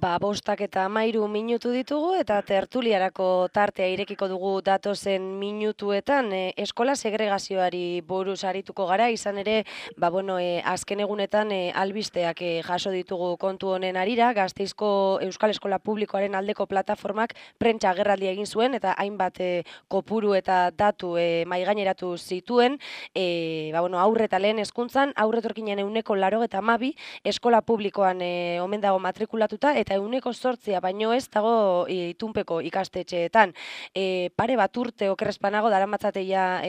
5:13 ditugu eta tertuliarako tartea irekiko dugu datozen minutuetan. Eskola segregazioari buruz arituko gara, izan ere, azken egunetan albisteak jaso ditugu kontu honen harira. Gasteizko Euskal Eskola Publikoaren aldeko plataformak prentsa agerraldia egin zuen eta hainbat kopuru eta datu mahaigaineratu zituen. Aurre eta lehen hezkuntzan, aurretorkinen 82 eskola publikoan omen dago matrikulatuta eta 8% baino ez dago itunpeko ikastetxeetan. Pare bat urte okerrezpanago daramatzateia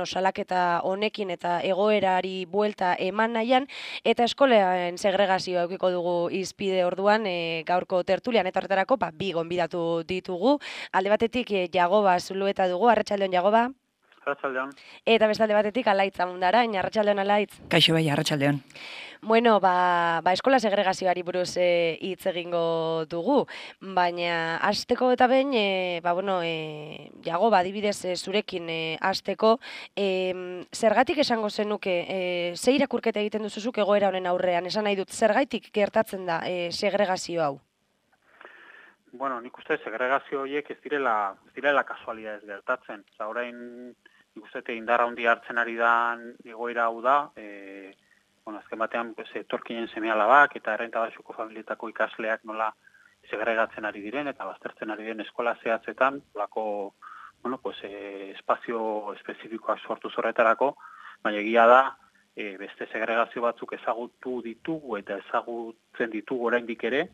salaketa honekin eta egoerari buelta eman nahian, eta eskolean segregazioa eukiko dugu hizpide orduan gaurko tertulian, eta horretarako bi gonbidatu ditugu. Alde batetik Jagoba Zulueta dugu. Arratsaldeon, Jagoba. Arratsaldeon. Eta beste alde batetik Alaitz Amundarain. Arratsaldeon, Alaitz. Kaixo bai, arratsaldeon. Bueno, eskola segregazioari buruz hitz egingo dugu, baina hasteko eta behin, Jagoba, adibidez zurekin hasteko, zergatik esango zenuke, ze irakurketa egiten duzuzuk egoera honen aurrean, esan nahi dut, zergaitik gertatzen da segregazio hau? Bueno, nik uste segregazio horiek ez direla kasualidadez gertatzen. Orain nik uste indarra handi hartzen ari da egoera hau da, azken batean etorkinen seme-alabak eta errenta baxuko familietako ikasleak nola segregatzen ari diren eta baztertzen ari diren eskola zehatzetan, espazio espezifikoak sortu horretarako, baina egia da, beste segregazio batzuk ezagutu ditugu eta ezagutzen ditugu oraindik ere,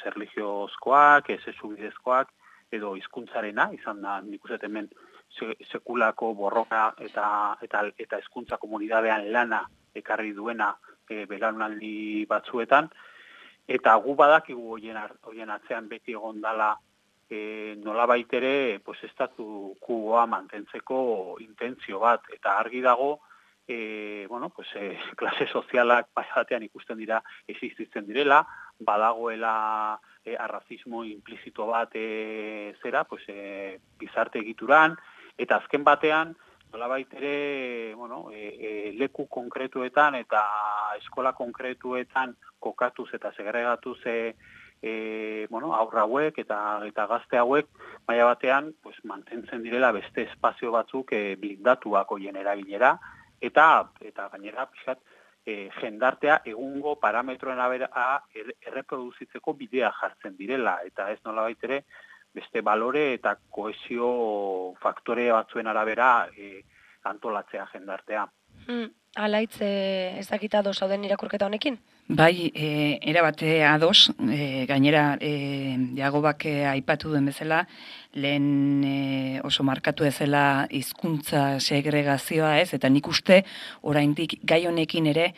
erlijiozkoak, esubidezkoak edo hizkuntzarena, izan da nik uste hemen sekulako borroka eta hezkuntza komunidadean lana ekarri duena belaunaldi batzuetan, eta gu badakigu horien atzean beti egon dala nolabait ere estatu quoa mantentzeko intentzio bat, eta argi dago klase sozialak batean ikusten dira existitzen direla, badagoela arrazismo implizito bat gizarte egituran, eta azken batean nolabait ere leku konkretuetan eta eskola konkretuetan kokatuz eta segregatuz aurra hauek eta gazte hauek maila batean mantentzen direla beste espazio batzuk blindatuak horien erabilera, eta gainera pixkat jendartea egungo parametroen arabera erreproduzitzeko bidea jartzen direla, eta ez nolabait ere beste balore eta kohesio faktore batzuen arabera antolatzea jendartea. Alaitz, ez dakit ados zauden irakurketa honekin? Bai, erabate ados, gainera Jagobak aipatu duen bezala, lehen oso markatu ezela hizkuntza segregazioa ez, eta nik uste oraindik gai honekin ere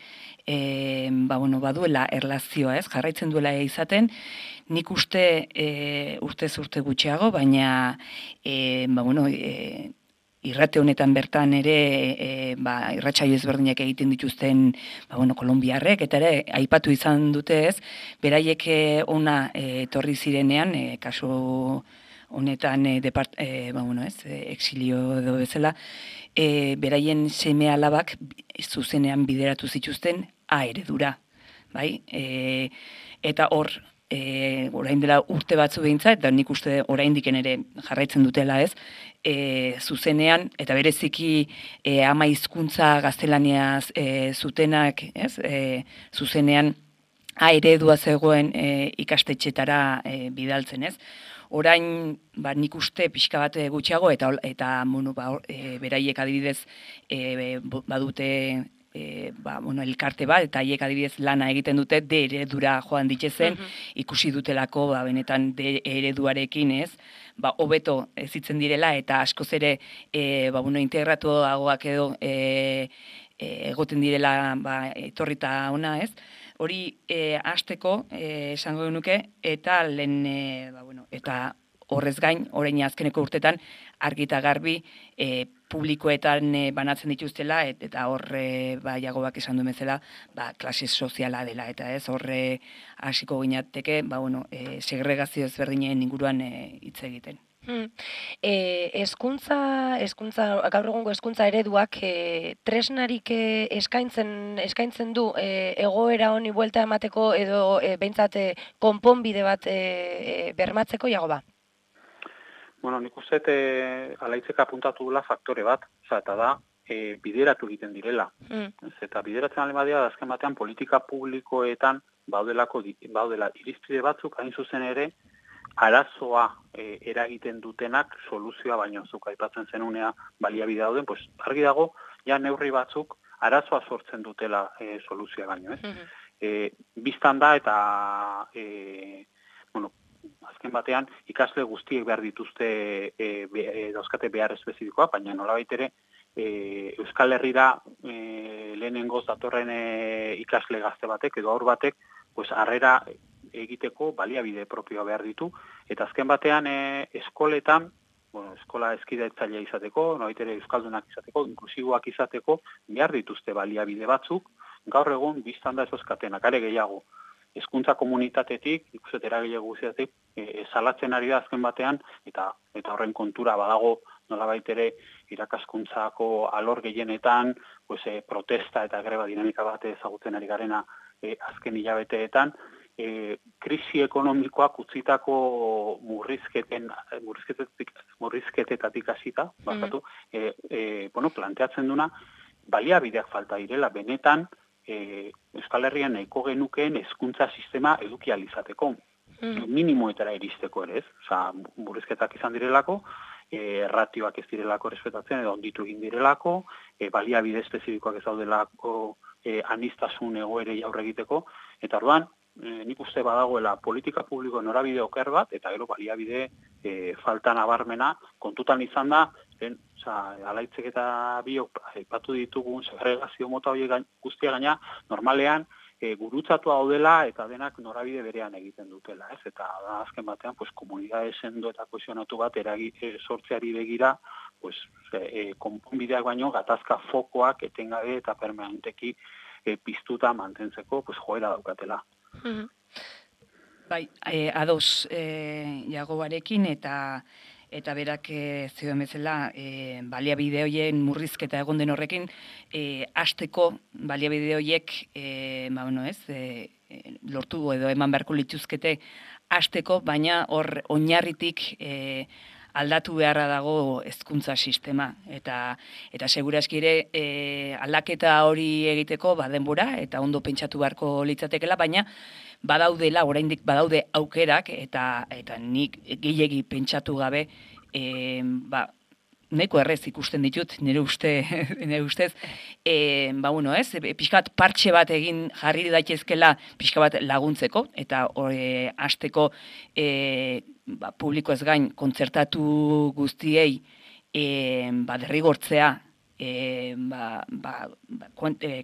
baduela erlazioa ez, jarraitzen duela izaten, nik uste urtez urte gutxiago, baina irrate honetan bertan ere irratsaio ezberdinak egiten dituzten kolonbiarrek, eta ere aipatu izan dute ez, beraiek ona etorri zirenean, kasu honetan exilio edo bezala, beraien seme-alabak zuzenean bideratu zituzten A eredura, bai? Eta hor, orain dela urte batzu behintzat, eta nik uste oraindiken ere jarraitzen dutela ez, zuzenean, eta bereziki ama hizkuntza gaztelaniaz zutenak, ez, zuzenean A eredua zegoen ikastetxetara bidaltzen, ez. Orain, nik uste pixka bat gutxiago, eta beraiek adibidez badute elkarte bat, eta haiek adibidez lana egiten dute D eredura joan ditzezen, ikusi dutelako benetan D ereduarekin ez, hobeto ezitzen direla, eta askoz ere integratuagoak edo egoten direla etorrita ona ez. Hori hasteko esango genuke, eta lehen, eta horrez gain, orain azkeneko urtetan, argi eta garbi publikoetan banatzen dituztela, eta horre Jagobak esan duen bezala, klase soziala dela, eta ez horre hasiko ginateke, segregazio ezberdinen inguruan hitz egiten. Hezkuntza gaur egungo hezkuntza ereduak tresnarik eskaintzen du egoera honi buelta emateko edo behintzat konponbide bat bermatzeko Jagoba. Bueno, nik uste alaitzek apuntatu dula faktore bat, eta da bideratu egiten direla. Eta bideratzen alema dira, azken batean politika publikoetan baudela irizpide batzuk, hain zuzen ere, arazoa eragiten dutenak soluzioa baino zuk aipatzen zenunea baliabide dauden, pues argi dago ja neurri batzuk arazoa sortzen dutela soluzioa baino, ez? Bistan da eta bueno, azken batean ikasle guztiek behar dituzte dauzkate behar espezifikoa, baina nolabait ere Euskal Herrira lehenengoz datorren ikasle gazte batek edo aur batek pues harrera egiteko baliabide propioa behar ditu, eta azken batean eskoletan, bueno, eskola hezkidetzailea izateko, nolabait ere euskaldunak izateko, inklusiboak izateko, behar dituzte baliabide batzuk, gaur egun bistan da ez dauzkatenak, are gehiago. Hezkuntza komunitatetik, ikuset eragile guztiatik, salatzen ari da azken batean, eta horren kontura badago nolabait ere irakaskuntzako alor gehienetan, pues, protesta eta greba dinamika bat ezagutzen ari garena azken hilabeteetan, krisi ekonomikoak utzitako murrizketetatik hasita, bueno, planteatzen duna, baliabideak falta direla, benetan Euskal Herrian nahiko genukeen hezkuntza sistema edukializateko, minimoetara iristeko ere, ez? Osea, murrizketak izan direlako, ratioak ez direlako respetatzen edo onditu egin direlako, baliabide espezifikoak ez daudelako aniztasun egoerei aurre egiteko, eta orduan, nik uste badagoela politika publiko norabide oker bat, eta gero baliabide falta nabarmena, kontutan izan da, alaitzek eta biok aipatu ditugun segregazio mota horiek guztia gaina, normalean gurutzatua daudela eta denak norabide berean egiten dutela, ez? Eta da azken batean, pues, komunidade sendo eta kohesionatu bat sortzeari begira, pues, konponbideak baino gatazka fokoak etengabe eta permanenteki piztuta mantentzeko, pues, joera daukatela. Bai, ados Jagobarekin eta berak zioen bezala baliabide horien murrizketa egon den horrekin hasteko baliabide horiek lortu edo eman beharko lituzkete hasteko, baina hor oinarritik aldatu beharra dago hezkuntza sistema eta segurazki ere aldaketa hori egiteko denbora eta ondo pentsatu beharko litzatekeela, baina oraindik badaude aukerak eta nik gehiegi pentsatu gabe nahiko errez ikusten ditut nire ustez pixka bat partxe bat egin jarri daitezkela pixka bat laguntzeko eta hasteko publiko ez gain kontzertatu guztiei derrigortzea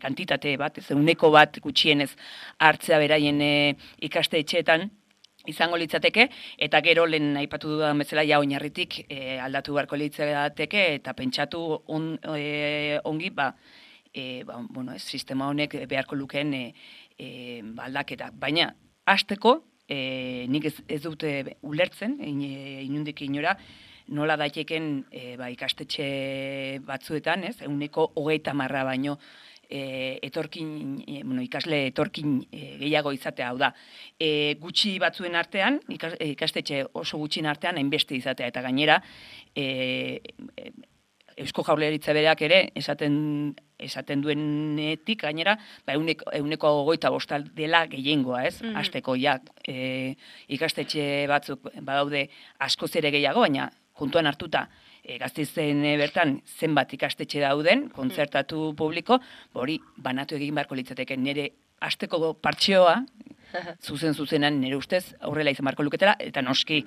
kantitate bat, ez uneko bat gutxienez hartzea beraien ikastetxeetan izango litzateke, eta gero lehen aipatu dudan bezala oinarritik aldatu beharko litzateke, eta pentsatu ongi, sistema honek beharko lukeen aldaketa. Baina, hasteko, nik ez dute ulertzen, inundik inora, nola daiteken ikastetxe batzuetan, ez? 30% baino ikasle etorkin gehiago izatea, hau da. Gutxi batzuen artean, ikastetxe oso gutxin artean, hainbeste izatea, eta gainera, Eusko Jaurlaritza bereak ere, esaten duenetik, gainera, 25% dela gehiengoa, ez? Hasteko, ikastetxe batzuk badaude askoz ere gehiago, baina kontuan hartuta, Gasteizen bertan zenbat ikastetxe dauden, kontzertatu publiko, hori banatu egin beharko litzateke nire hasteko partxeoa, zuzenan nire ustez aurrela izan beharko luketela, eta noski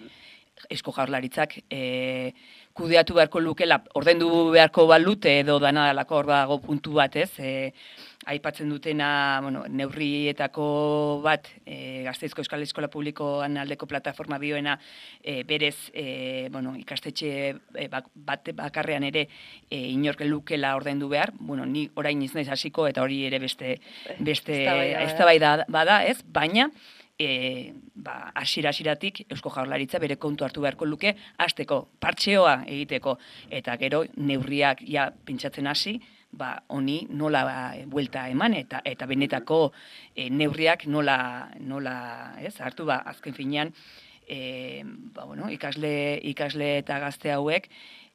Eusko Jaurlaritzak kudeatu beharko lukela, ordendu beharko balute edo danadalako hor dago puntu bat, ez? Aipatzen dutena, neurrietako bat, Gasteizko Euskal Eskola Publikoan aldeko plataforma bioena, berez, ikastetxe bat bakarrean ere inork lukela ordaindu behar, ni orain ez naiz hasiko eta hori ere beste eztabaida bada, ez? Baina hasieratik Eusko Jaurlaritza bere kontu hartu beharko luke hasteko partxeoa egiteko eta gero neurriak ja pentsatzen hasi, honi nola buelta eman eta benetako neurriak nola hartu azken finean ikasle eta gazte hauek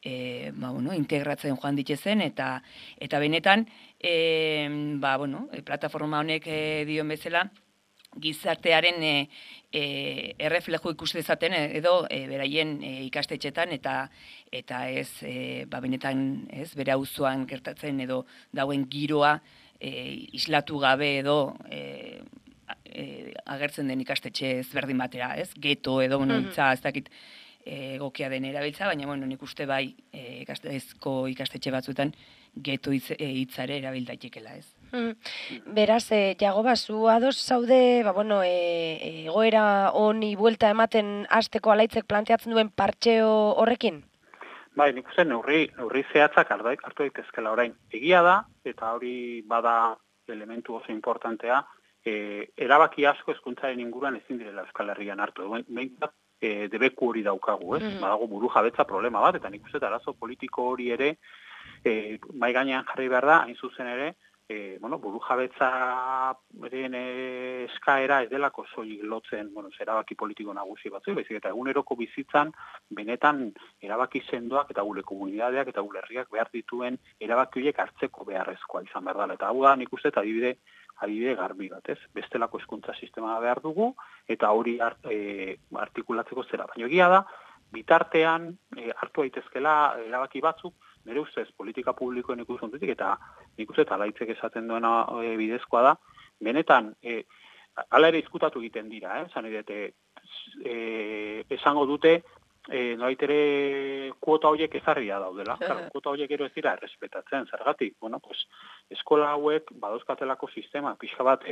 integratzen joan ditezen eta benetan plataforma honek dion bezala gizartearen erreflejo ikuste dezaten edo beraien ikastetxetan eta ez benetan bere auzoan gertatzen edo dauen giroa islatu gabe edo agertzen den ikastetxe ezberdin batera, geto edo hitza ez dakit egokia den erabiltza, baina nik uste bai ikastetxe batzuetan geto hitzare erabil daitekela, ez. Beraz, Jagoba, zu ados zaude, egoera honi buelta ematen hasteko alaitzek planteatzen duen partxeo horrekin? Bai, nik uste neurri zehatzak hartu daitezkela orain. Egia da, eta hori bada elementu oso importantea, erabaki asko hezkuntzaren inguruan ezin direla Euskal Herrian hartu. Behintzat, debeku hori daukagu, ez? Badago buru jabetza problema bat, eta nik uste arazo politiko hori ere mai gainean jarri behar da, hain zuzen ere, buru jabetzaren eskaera ez delako soilik lotzen, erabaki politiko nagusi batzu, baizik eta eguneroko bizitzan benetan erabaki sendoak eta gure komunidadeak eta gure herriak behar dituen erabaki horiek hartzeko beharrezkoa izan behar dela. Eta hau da, nik uste adibide garbi bat, ez? Bestelako hezkuntza sistema behar dugu eta hori artikulatzeko zera. Baina egia da, bitartean hartu daitezkela erabaki batzuk, nire ustez politika publikoen ikuspuntutik eta nik uste alaitzek esaten duena bidezkoa da, benetan hala ere izkutatu egiten dira, esango dute noait ere kuota horiek ezarria daudela. Kuota horiek ero ez dira errespetatzen, zergatik. Eskola hauek badauzkatelako sistema pixka bat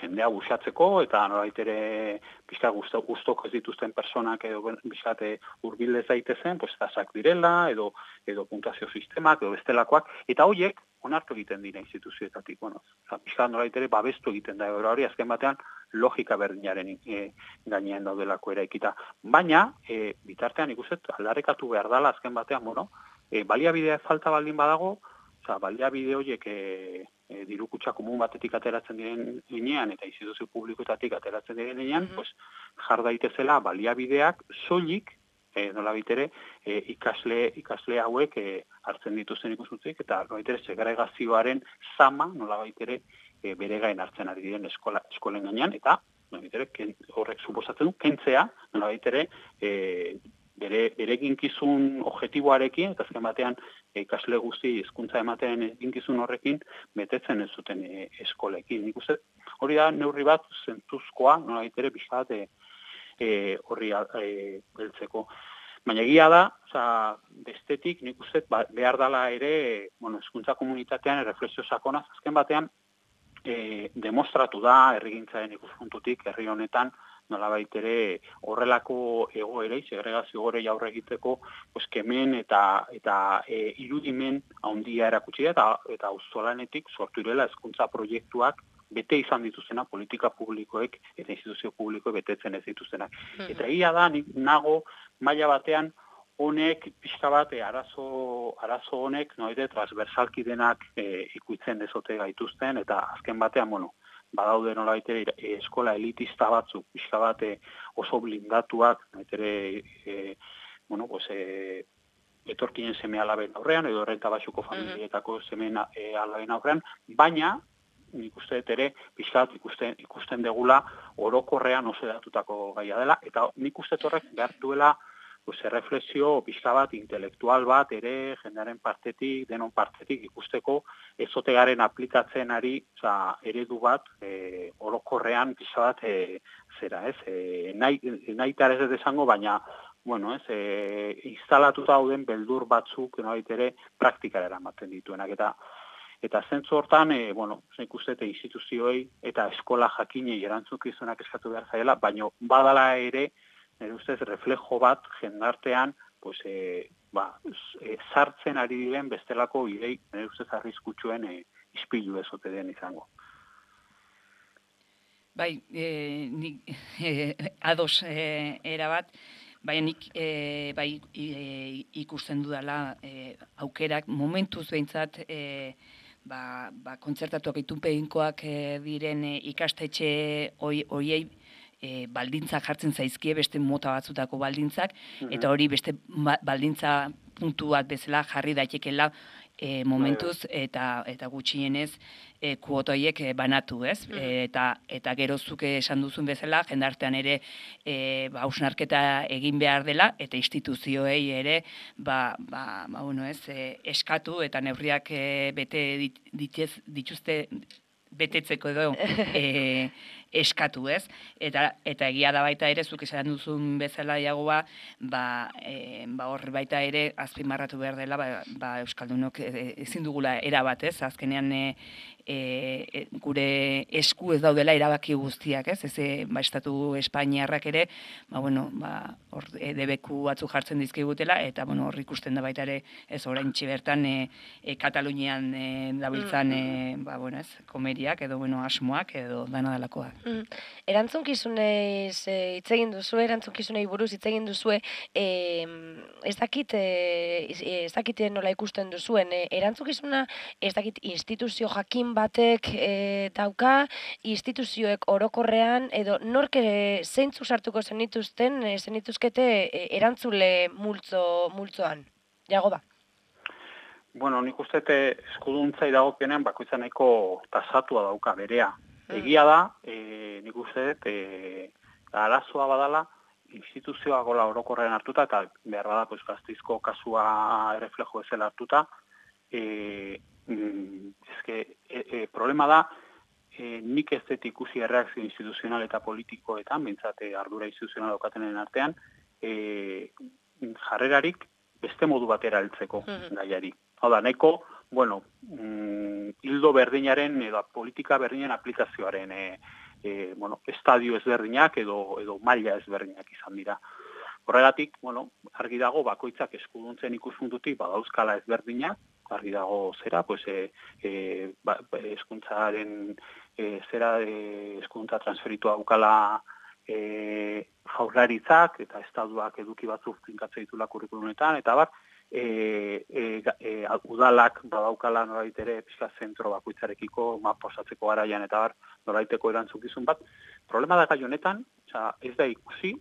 jendea busatzeko eta norait ere pixka guztoko ez dituzten personak edo pixkate hurbilez daitezen, tazak direla edo puntazio sistemak edo bestelakoak, eta horiek onartu egiten dira instituzioetatik. Pixka norait ere babestu egiten da hori azken batean logika berdinaren gainean daudelako eraikita. Baina, bitartean ikusten aldarrekatu behar dela azken batean, baliabidea falta baldin badago, baliabide horiek diru kutxa komun batetik ateratzen diren linean eta instituzio publikoetatik ateratzen diren linean, jar daitezela baliabideak soilik nolabait ere ikasle hauek hartzen dituzten ikuspuntutik eta nolabait ere segregazioaren zama nolabait ere bere gain hartzen ari diren eskolen gainean eta nolabait ere horrek suposatzen du kentzea nolabait ere bere eginkizun objektiboarekin, eta azken batean ikasle guzti hizkuntza ematen eginkizun horrekin betetzen ez zuten eskolekin. Nik uste hori da neurri bat zentzuzkoa, nolabait ere pixkat horri beltzeko. Baina egia da, bestetik nik uste behar dela ere, hizkuntza komunitatean erreflexio sakonaz, azken batean demostratu da herrigintzaren ikuspuntutik herri honetan nolabait ere horrelako egoerei, segregazio egoerei aurre egiteko, kemen eta irudimen handia erakutsi da, eta auzolanetik sortu direla hezkuntza proiektuak bete izan dituzena politika publikoek eta instituzio publikoek betetzen ez dituztenak. Eta egia da, nik nago maila batean honek pixka bat arazo honek noide transversalki denak ikutzen dezote gaituzten eta azken batean, badaude nolabait eskola elitista batzuk, pixka bat oso blindatuak, etorkinen seme alaben aurrean, edo renta baxuko familietako seme alaben aurrean, baina, nik uste ere, pixka bat ikusten degula orokorrean oso edatutako gaia dela, eta nik uste horrek behar duela erreflexio pixka bat, intelektual bat, ere jendearen partetik, denon partetik ikusteko, ez ote garen aplikatzen ari, eredu bat, orokorrean pixka bat, nahi tarez ez desango, baina, instalatuta dauden beldur batzuk, ere, praktikara eramaten dituenak, eta zentzu hortan, nik uste instituzioei eta eskola jakinei erantzukizunak eskatu behar zaila, baina badala ere, nire ustez, reflejo bat jendartean sartzen ari diren bestelako idei, nire ustez, arriskutsuen ispilu ezote den izango. Bai, nik ados erabat, baina nik ikusten dudala aukerak momentuz behintzat kontzertatuak itunpeinkoak diren ikastetxe hoiei baldintzak jartzen zaizkie, beste mota batzutako baldintzak, eta hori beste baldintza puntu bat bezala jarri daitekela momentuz eta gutxienez kuota horiek banatu, ez? Eta gero zuke esan duzun bezala, jendartean ere hausnarketa egin behar dela eta instituzioei ere eskatu eta neurriak bete dituzte betetzeko edo eskatu, ez? Eta egia da baita ere, zuk esan duzun bezala Iagoa, hor baita ere azpimarratu behar dela, Euskaldunok ezin dugula erabat, ez? Azkenean gure esku ez daudela erabaki guztiak, ez? Estatu Espainiarrak ere, hor debeku batzu jartzen dizkigutela, eta hor ikusten da baita ere, ez oraintxe bertan Katalunian dabiltzan, komeriak edo asmoak edo dana dalakoak. Erantzukizunez hitz egin duzu, erantzukizunei buruz hitz egin duzu, ez dakit nola ikusten duzuen, erantzukizuna ez dakit instituzio jakin batek dauka, instituzioek orokorrean, edo nork zeintzuk sartuko zenituzkete erantzule multzoan. Iagoba? Bueno, nik uste eskuduntzai dagokionean bakoitza nahiko tasatua dauka berea. Egia da, nik uste arazoa badala, instituzioa gola orokorrean hartuta, eta behar bada Gasteizko kasua erreflejo ezela hartuta, problema da, nik ez dut ikusi erreakzio instituzional eta politikoetan, bintzat ardura instituzional daukatenen artean, jarrerarik beste modu batera heltzeko gaiari. Hau da, nahiko, hildo berdinaren edo politika berdinen aplikazioaren estadio ezberdinak edo maila ezberdinak izan dira. Horregatik, argi dago bakoitzak eskuduntzen ikuspuntutik badauzkala ezberdinak, argi dago zera, eskuntzaren eskuntza transferitua daukala jaurlaritzak eta estatuak eduki batzuk finkatzen ditula kurrikulumetan, eta udalak badaukala nolait ere pixka zentro bakoitzarekiko posatzeko garaian eta nolaiteko erantzukizun bat. Problema da gai honetan, ez da ikusi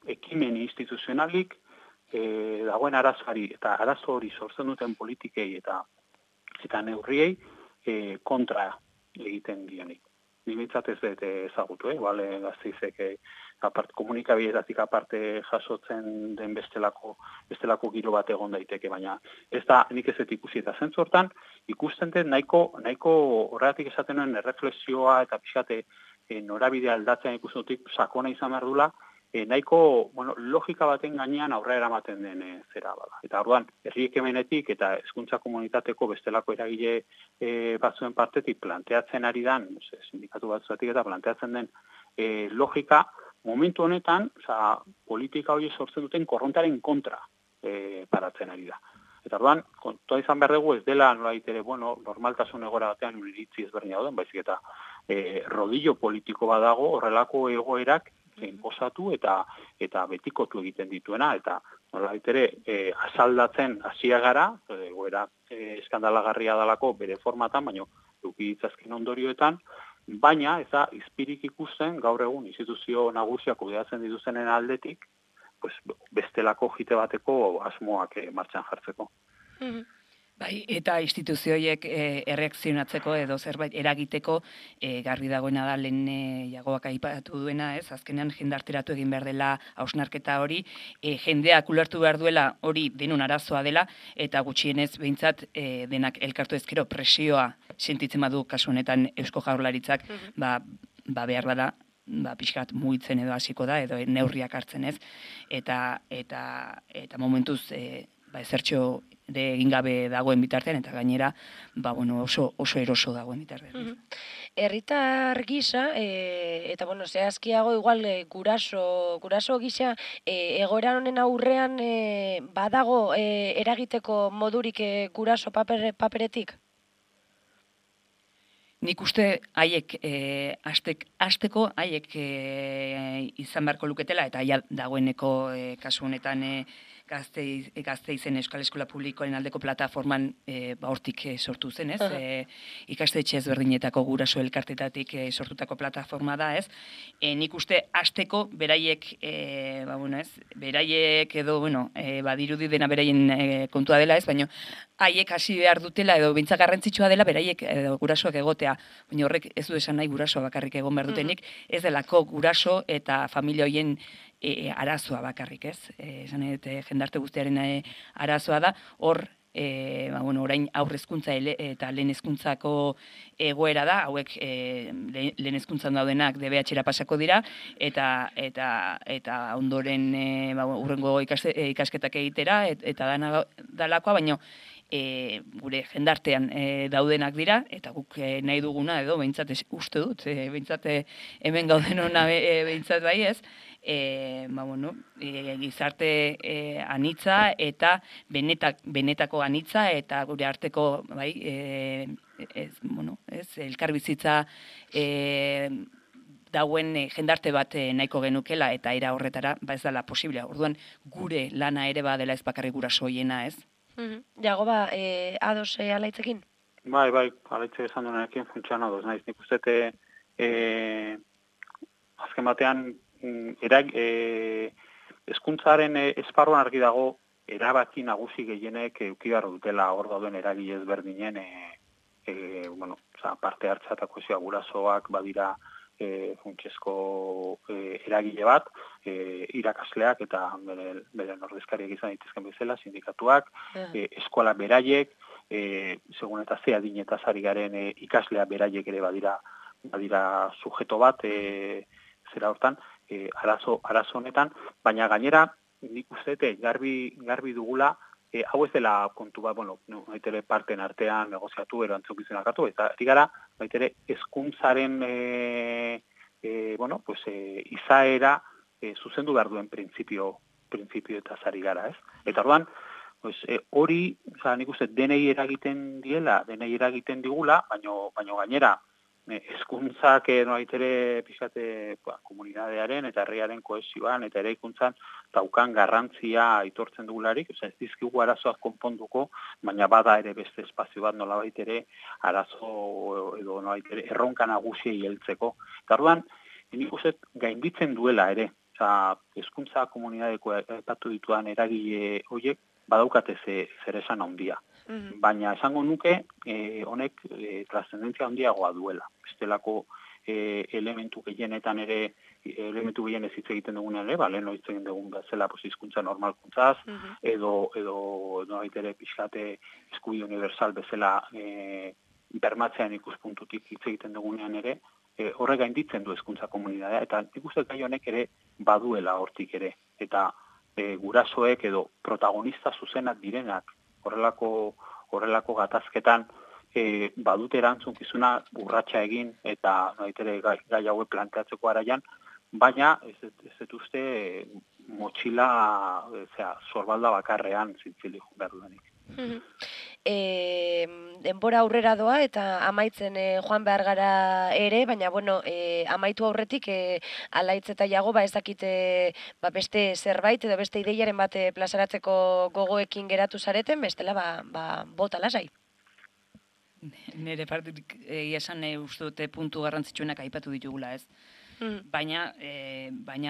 ekimen instituzionalik dagoen arazoari eta arazo hori sortzen duten politikei eta neurriei kontra egiten dionik. Nibitzat ez dut ezagutu, Gasteizek komunikabideetatik aparte jasotzen den bestelako giro bat egon daiteke, baina ez da nik ez dut ikusi eta zentzu hortan, ikusten dut nahiko horregatik esaten nuen erreflexioa eta pixate norabidea aldatzen ikusten dutik sakona izan behar dula, nahiko logika baten gainean aurrera eramaten den zera bada. Eta orduan, herri ekimenetik eta hezkuntza komunitateko bestelako eragile batzuen partetik planteatzen ari dan, sindikatu batzuetik eta planteatzen den logika, momentu honetan, politika hori sortzen duten korrontaren kontra paratzen ari da. Eta orduan, kontua izan behar dugu ez dela nolait ere, normaltasun egora batean iritzi ezberdina dauden, baizik eta rodillo politiko badago horrelako egoerak enposatu eta betikotu egiten dituena, eta nolait ere asaldatzen hasia gara, egoera eskandalagarria dalako bere formatan, baina eduki ditzazken ondorioetan, baina ez da izpirik ikusten gaur egun instituzio nagusiak kudeatzen dituzenen aldetik, bestelako jite bateko asmoak martxan jartzeko. Bai, eta instituzioiek erreakzionatzeko edo zerbait eragiteko garbi dagoena da lehen Iagoak aipatu duena, ez? Azkenean jendarteratu egin behar dela hausnarketa hori, jendeak ulertu behar duela hori denon arazoa dela, eta gutxienez behintzat denak elkartu ezkero presioa sentitzen badu kasu honetan Eusko Jaurlaritzak, behar bada, pixkat mugitzen edo hasiko da, edo neurriak hartzen ez, eta momentuz ezertxo egin gabe dagoen bitartean, eta gainera oso eroso dagoen bitartean. Herritar gisa, eta zehazkiago igual guraso gisa, egoera honen aurrean badago eragiteko modurik guraso paperetik? nik uste haiek hasteko haiek izan beharko luketela, eta ja dagoeneko kasu honetan Gasteizen Euskal Eskola Publikoaren aldeko plataforman hortik sortu zen, ez? Ikastetxe ezberdinetako guraso elkartetatik sortutako plataforma da, ez? Nik uste hasteko beraiek, beraiek edo, badirudi dena beraien kontua dela, ez? Baina haiek hasi behar dutela edo behintzak garrantzitsua dela beraiek edo gurasoak egotea. Baina horrek ez du esan nahi guraso bakarrik egon behar dutenik, ez delako guraso eta familia hoien arazoa bakarrik, ez? Esan jendarte guztiaren arazoa da, hor, orain aurre hezkuntza eta lehen hezkuntzako egoera da, hauek lehen hezkuntzan daudenak DBH-era pasako dira, eta ondoren hurrengo ikasketak egitera, eta dalakoa, baina gure jendartean daudenak dira, eta guk nahi duguna, edo behintzat uste dut, behintzat hemen gauden hona behintzat bai ez, gizarte anitza eta benetako anitza eta gure arteko elkarbizitza dauen jendarte bat nahiko genukela eta era horretara ez dela posiblea. Orduan gure lana ere badela ez bakarrik gurasoiena, ez? Jago ados alaitzekin? Bai, alaitze esan duenekin funtsian ados naiz. Nik uste azken batean hezkuntzaren esparruan argi dago erabaki nagusi gehienek eduki behar dutela hor dauden eragile ezberdinen parte hartza eta kohesioa gurasoak badira funtsezko eragile bat, irakasleak eta beren ordezkariak izan daitezken bezala, sindikatuak, eskola beraiek, segun eta ze adinetaz ari garen ikaslea beraiek ere badira sujeto bat, zera hortan, arazo honetan, baina gainera, nik uste garbi dugula, hau ez dela kontu bat, baitere parten artean negoziatu, erantzukizunak hartu, eta gara, baitere hezkuntzaren izaera zuzendu behar duen printzipio eta zari gara, ez? Eta orduan, hori, nik uste denei eragiten digula, baina gainera, hezkuntzak noitere pixate komunitatearen eta herriaren kohesioan eta eraikuntzan daukan garrantzia aitortzen dugularik, ez dizkigu arazoak konponduko, baina bada ere beste espazio bat nolabait ere arazo edo nolabait ere erronka nagusiei heltzeko. Eta orduan, nik uste gainditzen duela ere, hezkuntza komunitateko aipatu dituan eragile horiek badaukate zer esan handia. Baina esango nuke honek trascendentzia handiagoa duela. Bestelako elementu gehienetan ere, elementu gehienez hitz egiten dugunean ere, lehen hitz egin dugun bezala hizkuntza normalkuntzaz, edo ere pixkate eskubide universal bezala bermatzean ikuspuntutik hitz egiten dugunean ere, horrek gainditzen du hezkuntza komunitatea, eta nik uste gai honek ere baduela hortik ere, eta gurasoek edo protagonista zuzenak direnak horrelako gatazketan badute erantzunkizuna urratsa egin eta gai hauek planteatzeko araian, baina ez dut uste motxila sorbalda bakarrean zintzilik behar duenik. Denbora aurrera doa eta amaitzen joan behar gara ere, baina amaitu aurretik alaitz eta jago ez dakite beste zerbait edo beste ideiaren bat plazaratzeko gogoekin geratu zareten, bestela bota lasai. Nire partetik esan uste dute puntu garrantzitsuenak aipatu ditugula, ez? Baina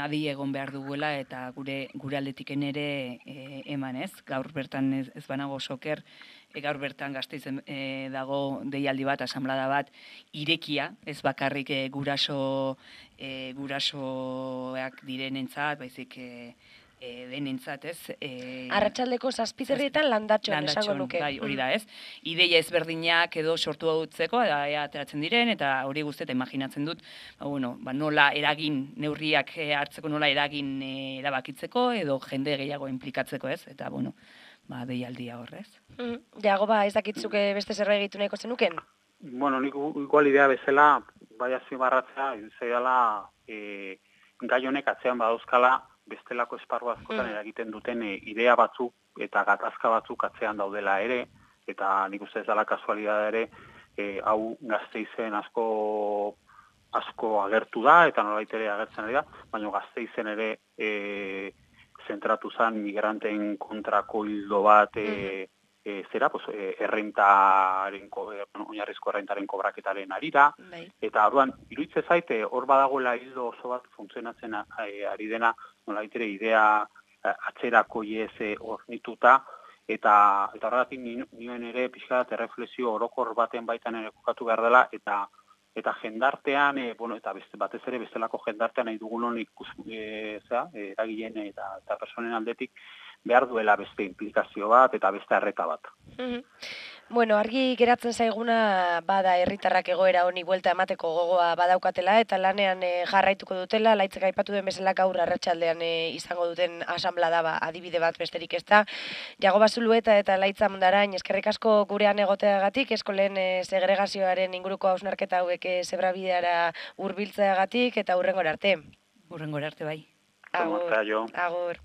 adi egon behar duguela eta gure aldetiken ere eman, ez? Gaur bertan ez banago soker, gaur bertan Gasteizen dago deialdi bat, asanblada bat, irekia, ez bakarrik gurasoak direnentzat, baizik denentzat, ez? Arratsaldeko 7:00 landatxon, esango nuke. Bai, hori da, ez? Ideia ezberdinak edo sortu hautzeko, ateratzen diren, eta hori guztieta imaginatzen dut, nola eragin neurriak hartzeko, nola eragin erabakitzeko, edo jende gehiago implikatzeko, ez? Eta, deialdia horrez. Jago, ez dakitzuke beste zerbait egitu nahiko zenuken? Nik igual idea bezala, bai azpimarratzea, zaidala gai honek atzean badauzkala, bestelako esparru askotan eragiten duten idea batzuk eta gatazka batzuk atzean daudela ere, eta nik uste ez dela kasualidad ere, hau Gasteizen asko agertu da, eta nolabait ere agertzen ari da, baina Gasteizen ere zentratu zen migranteen kontrako hildo bat oinarrizko errentaren kobraketaren arira, eta orduan, iruditzen zait, hor badagoela hildo oso bat funtzionatzen ari dena, nolabait ere idea atzerako hornituta, eta horregatik nioen ere pixka bat erreflexio orokor baten baitan ere kokatu behar dela, eta jendartean, eta batez ere bestelako jendartean nahi dugunon eragileen eta personen aldetik behar duela beste implikazio bat eta beste arreta bat. Bueno, argi geratzen zaiguna bada herritarrak egoera honi buelta emateko gogoa badaukatela eta lanean jarraituko dutela, Laitzek aipatu den bezala gaur arratsaldean izango duten asanblada adibide bat besterik ez da. Jagoba Zulueta eta Laitza Mundarain, eskerrik asko gurean egoteagatik, eskolen segregazioaren inguruko hausnarketa hauek zebrabideara hurbiltzeagatik eta hurrengora arte. Hurrengora arte bai. Agur. Agur.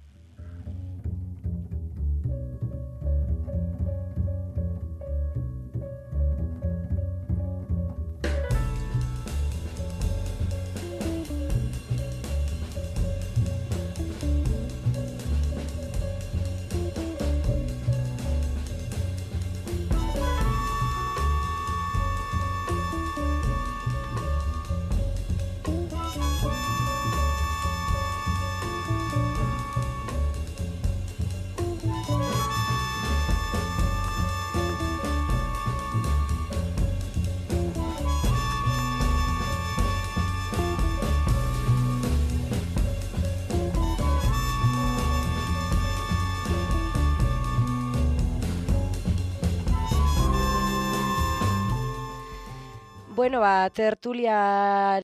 Bueno, tertulia